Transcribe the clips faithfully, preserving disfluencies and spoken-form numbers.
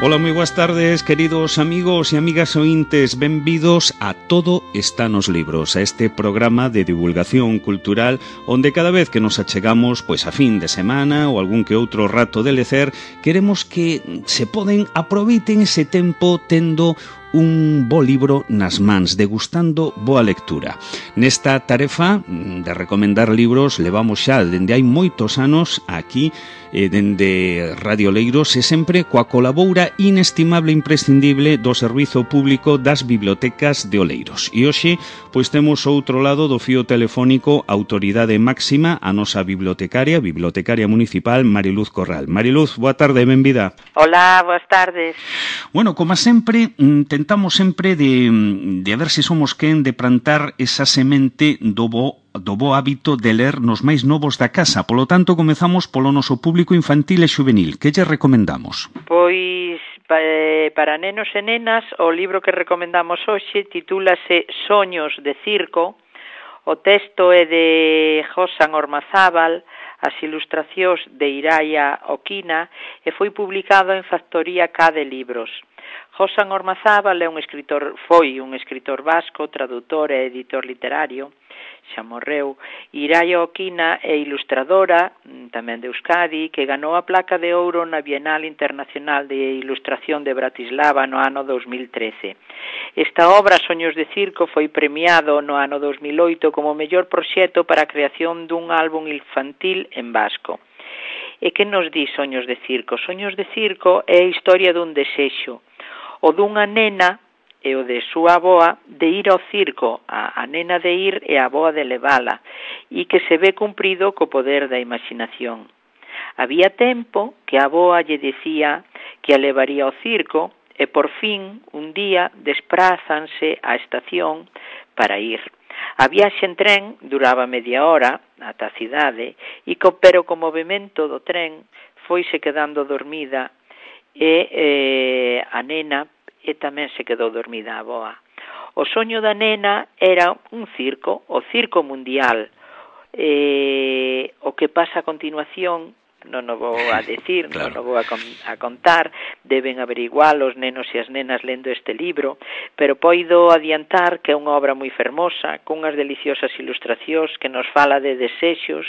Ola, moi boas tardes, queridos amigos e amigas ointes. Benvidos a Todo está nos libros, a este programa de divulgación cultural onde cada vez que nos achegamos pois a fin de semana ou algún que outro rato de lecer, queremos que se poden aproveiten ese tempo tendo un bo libro nas mans, degustando boa lectura. Nesta tarefa de recomendar libros levamos xa dende hai moitos anos aquí eh, dende Radio Oleiros e sempre coa colaboura inestimable e imprescindible do Servizo Público das Bibliotecas de Oleiros. E hoxe, pois temos outro lado do fío telefónico a autoridade máxima, a nosa bibliotecaria, bibliotecaria municipal, Mariluz Corral. Mariluz, boa tarde, benvida. Hola, boas tardes. Bueno, como sempre, tentamos sempre de, de a ver se somos quen de plantar esa semente do bo do bo hábito de ler nos máis novos da casa. Polo tanto, comezamos polo noso público infantil e xuvenil. Que lle recomendamos? Pois, para nenos e nenas, o libro que recomendamos hoxe titúlase Soños de Circo. O texto é de Josan Ormazábal, as ilustracións de Iraia Oquina e foi publicado en Factoría K de Libros. Josan Ormazábal é un escritor, foi un escritor vasco, tradutor e editor literario, xa morreu. Iraia Oquina é ilustradora, tamén de Euskadi, que ganou a placa de ouro na Bienal Internacional de Ilustración de Bratislava no ano dos mil trece. Esta obra, Soños de Circo, foi premiado no ano dos mil oito como mellor proxecto para a creación dun álbum infantil en vasco. E que nos di Soños de Circo? Soños de Circo é a historia dun desexo, o dunha nena e o de súa avoa de ir ao circo, a, a nena de ir e a avoa de levala, e que se ve cumprido co poder da imaginación. Había tempo que a avoa lle decía que a levaría ao circo e por fin, un día, desprázanse á estación para ir. A viaxe en tren duraba media hora ata a cidade, e co, pero co movimento do tren foise quedando dormida e eh, a nena e tamén se quedou dormida a avoa. O soño da nena era un circo, o circo mundial. E o que pasa a continuación non o vou a decir, claro. non o vou a, con, a contar, deben averiguar os nenos e as nenas lendo este libro, pero poido adiantar que é unha obra moi fermosa, cunhas deliciosas ilustracións que nos fala de desexos,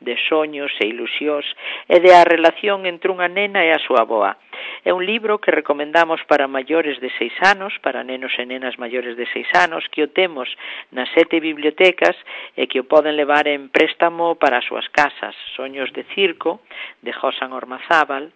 de soños e ilusións, e de a relación entre unha nena e a súa avoa. É un libro que recomendamos para maiores de seis anos, para nenos e nenas maiores de seis anos, que o temos nas sete bibliotecas e que o poden levar en préstamo para as súas casas. Soños de Circo, de Josan Ormazábal,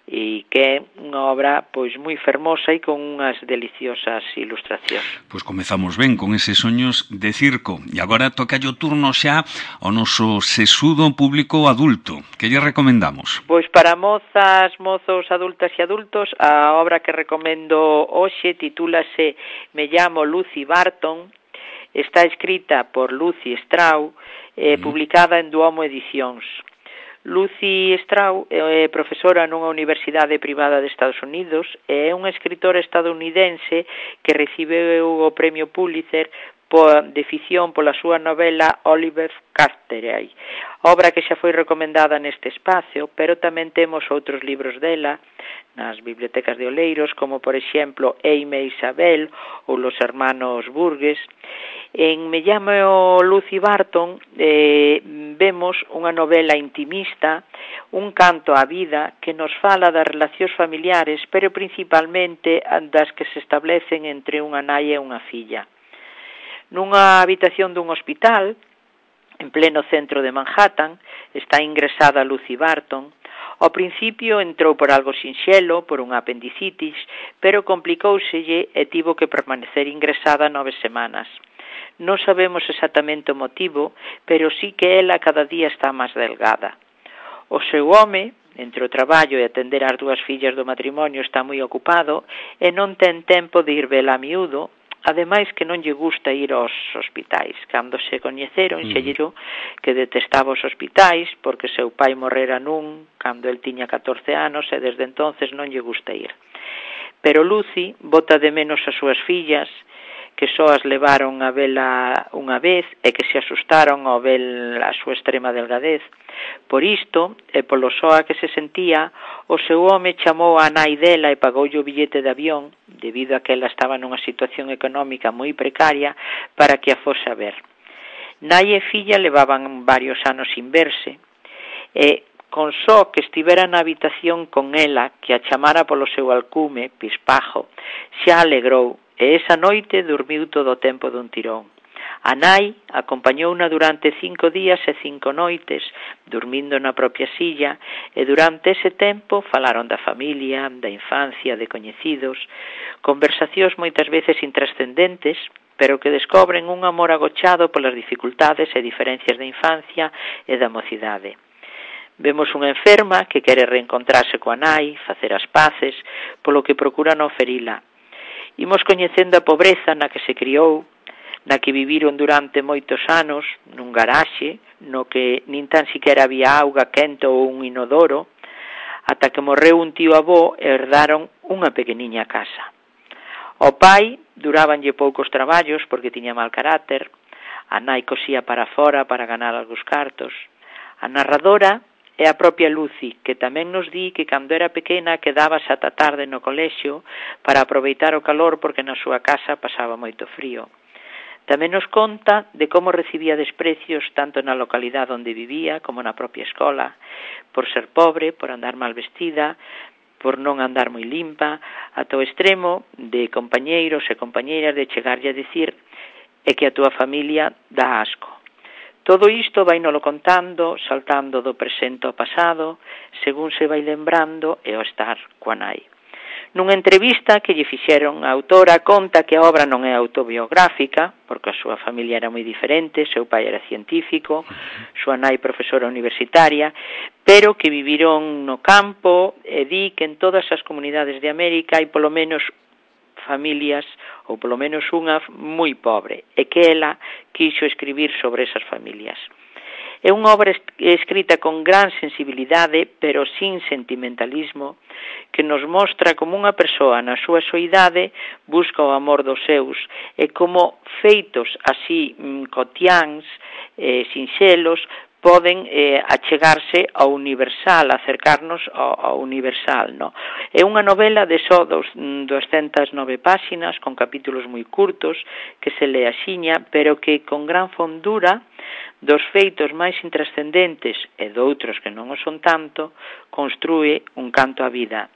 e que é unha obra pois moi fermosa e con unhas deliciosas ilustracións. Pois comezamos ben con eses Soños de Circo. E agora toca o turno xa ao noso sesudo público adulto. Que lle recomendamos? Pois para mozas, mozos, adultas e adultos, a obra que recomendo hoxe titúlase Me llamo Lucy Barton. Está escrita por Lucy Strau, eh, mm. publicada en Duomo Edicións. Lucy Strau é profesora nunha universidade privada de Estados Unidos e é unha escritora estadounidense que recibeu o premio Pulitzer de ficción pola súa novela Oliver Carteret, obra que xa foi recomendada neste espacio, pero tamén temos outros libros dela nas bibliotecas de Oleiros, como por exemplo Eime e Isabel ou Los Hermanos Burgues. En Me llamo Lucy Barton eh, vemos unha novela intimista, un canto á vida que nos fala das relacións familiares, pero principalmente das que se establecen entre unha nai e unha filla. Nunha habitación dun hospital, en pleno centro de Manhattan, está ingresada Lucy Barton. Ao principio entrou por algo sinxelo, por unha apendicitis, pero complicóuselle e tivo que permanecer ingresada nove semanas. Non sabemos exactamente o motivo, pero sí que ela cada día está máis delgada. O seu home, entre o traballo e atender as dúas fillas do matrimonio, está moi ocupado e non ten tempo de ir vela a miúdo. Ademais que non lle gusta ir aos hospitais. Cando se coñeceron, xe dixo que detestaba os hospitais porque seu pai morrera nun cando el tiña catorce anos e desde entonces non lle gusta ir. Pero Lucy bota de menos as súas fillas que só as levaron a vela unha vez e que se asustaron ao ver a súa extrema delgadez. Por isto, e polo soa que se sentía, o seu home chamou a nai dela e pagoulle o billete de avión, debido a que ela estaba nunha situación económica moi precaria, para que a fose a ver. Nai e filla levaban varios anos sin verse, e con só que estivera na habitación con ela, que a chamara polo seu alcume, Pispajo, xa alegrou, e esa noite dormiu todo o tempo dun tirón. A nai acompañouna durante cinco días e cinco noites, dormindo na propia silla, e durante ese tempo falaron da familia, da infancia, de coñecidos, conversacións moitas veces intrascendentes, pero que descobren un amor agochado polas dificultades e diferencias da infancia e da mocidade. Vemos unha enferma que quere reencontrarse coa nai, facer as paces, polo que procura non ferila. Imos coñecendo a pobreza na que se criou, na que viviron durante moitos anos, nun garaxe, no que nin tan siquiera había auga quente ou un inodoro, ata que morreu un tío avó e herdaron unha pequeniña casa. Ao pai durabanlle poucos traballos porque tiña mal carácter, a nai cosía para fora para ganar algúns cartos. A narradora é a propia Lucy, que tamén nos di que cando era pequena quedábase ata tarde no colexio para aproveitar o calor porque na súa casa pasaba moito frío. Tamén nos conta de como recibía desprecios tanto na localidade onde vivía como na propia escola, por ser pobre, por andar mal vestida, por non andar moi limpa, ata o extremo de compañeiros e compañeiras de chegarlle a dicir é que a túa familia dá asco. Todo isto vai nolo contando, saltando do presente ao pasado, según se vai lembrando e ao estar coa nai. Nunha entrevista que lle fixeron, a autora conta que a obra non é autobiográfica, porque a súa familia era moi diferente, seu pai era científico, súa nai profesora universitaria, pero que viviron no campo e di que en todas as comunidades de América hai polo menos familias, ou polo menos unha moi pobre, e que ela quixo escribir sobre esas familias. É unha obra escrita con gran sensibilidade, pero sin sentimentalismo, que nos mostra como unha persoa na súa soidade busca o amor dos seus, e como feitos así cotiáns, eh, sinxelos, poden eh, achegarse ao universal, acercarnos ao, ao universal, no? É unha novela de só dos, doscientas nove páxinas, con capítulos moi curtos, que se le axiña, pero que con gran fondura dos feitos máis intrascendentes e doutros que non o son tanto, construe un canto á vida.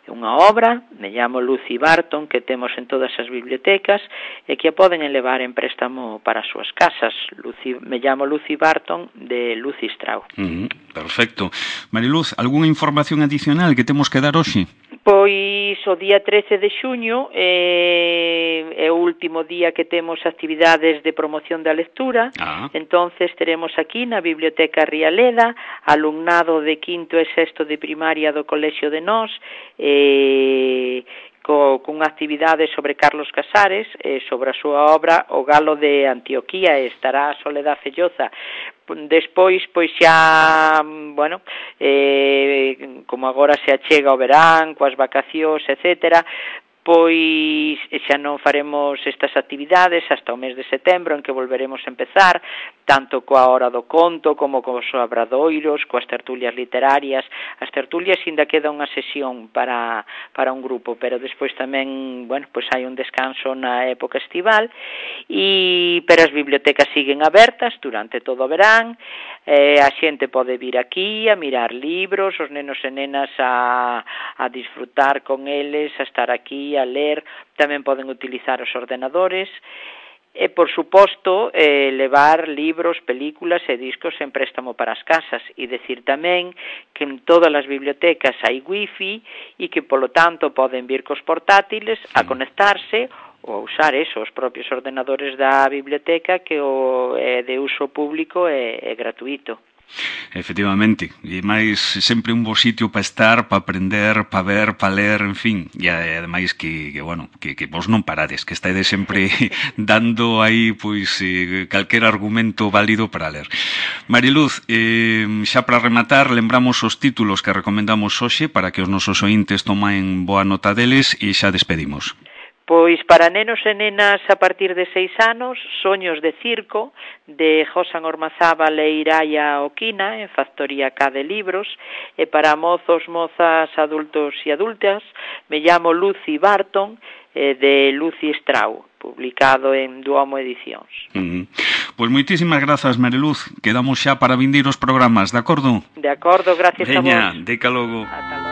É unha obra, me llamo Lucy Barton, que temos en todas as bibliotecas e que a poden elevar en préstamo para as súas casas. Lucy, me llamo Lucy Barton, de Lucy Strauss. Mm, perfecto. Mariluz, algunha información adicional que temos que dar hoxe? Pois o día trece de xuño é, é o último día que temos actividades de promoción da lectura. Ah. Entonces teremos aquí na Biblioteca Rialeda alumnado de quinto e sexto de primaria do Colexio de Nós, e co, cunha actividade sobre Carlos Casares, e sobre a súa obra O Galo de Antioquía, e estará Soledad Felloza. Despois, pois xa, bueno, eh, como agora se achega o verán, coas vacacións, etcétera, pois xa non faremos estas actividades hasta o mes de setembro, en que volveremos a empezar, tanto coa hora do conto, como cos obradoiros, coas tertulias literarias. As tertulias ainda queda unha sesión para, para un grupo, pero despois tamén, bueno, pois hai un descanso na época estival, e pero as bibliotecas siguen abertas durante todo o verán, eh, a xente pode vir aquí a mirar libros, os nenos e nenas a, a disfrutar con eles, a estar aquí, a ler, tamén poden utilizar os ordenadores e, por suposto, eh, levar libros, películas e discos en préstamo para as casas, e decir tamén que en todas as bibliotecas hai wifi e que, polo tanto, poden vir cos portátiles a conectarse ou a usar eso, os propios ordenadores da biblioteca, que o é de uso público e, e gratuito. Efectivamente, e máis sempre un bo sitio para estar, para aprender, para ver, para ler, en fin, e ademais que, que bueno, que, que vos non parades, que estáis sempre dando aí, pois, eh, calquer argumento válido para ler. Mariluz, eh, xa para rematar, lembramos os títulos que recomendamos hoxe para que os nosos ointes tomen boa nota deles e xa despedimos. Pois para nenos e nenas a partir de seis anos, Soños de circo, de Josan Ormazábal e Iraia Oquina, en Factoría K de Libros, e para mozos, mozas, adultos e adultas, me llamo Lucy Barton, eh, de Lucy Strau, publicado en Duomo Edicións. Uh-huh. Pois moitísimas grazas, Mariluz. Quedamos xa para vindir os programas, de acordo? De acordo, gracias Veña, a vos. deca logo. Ata logo.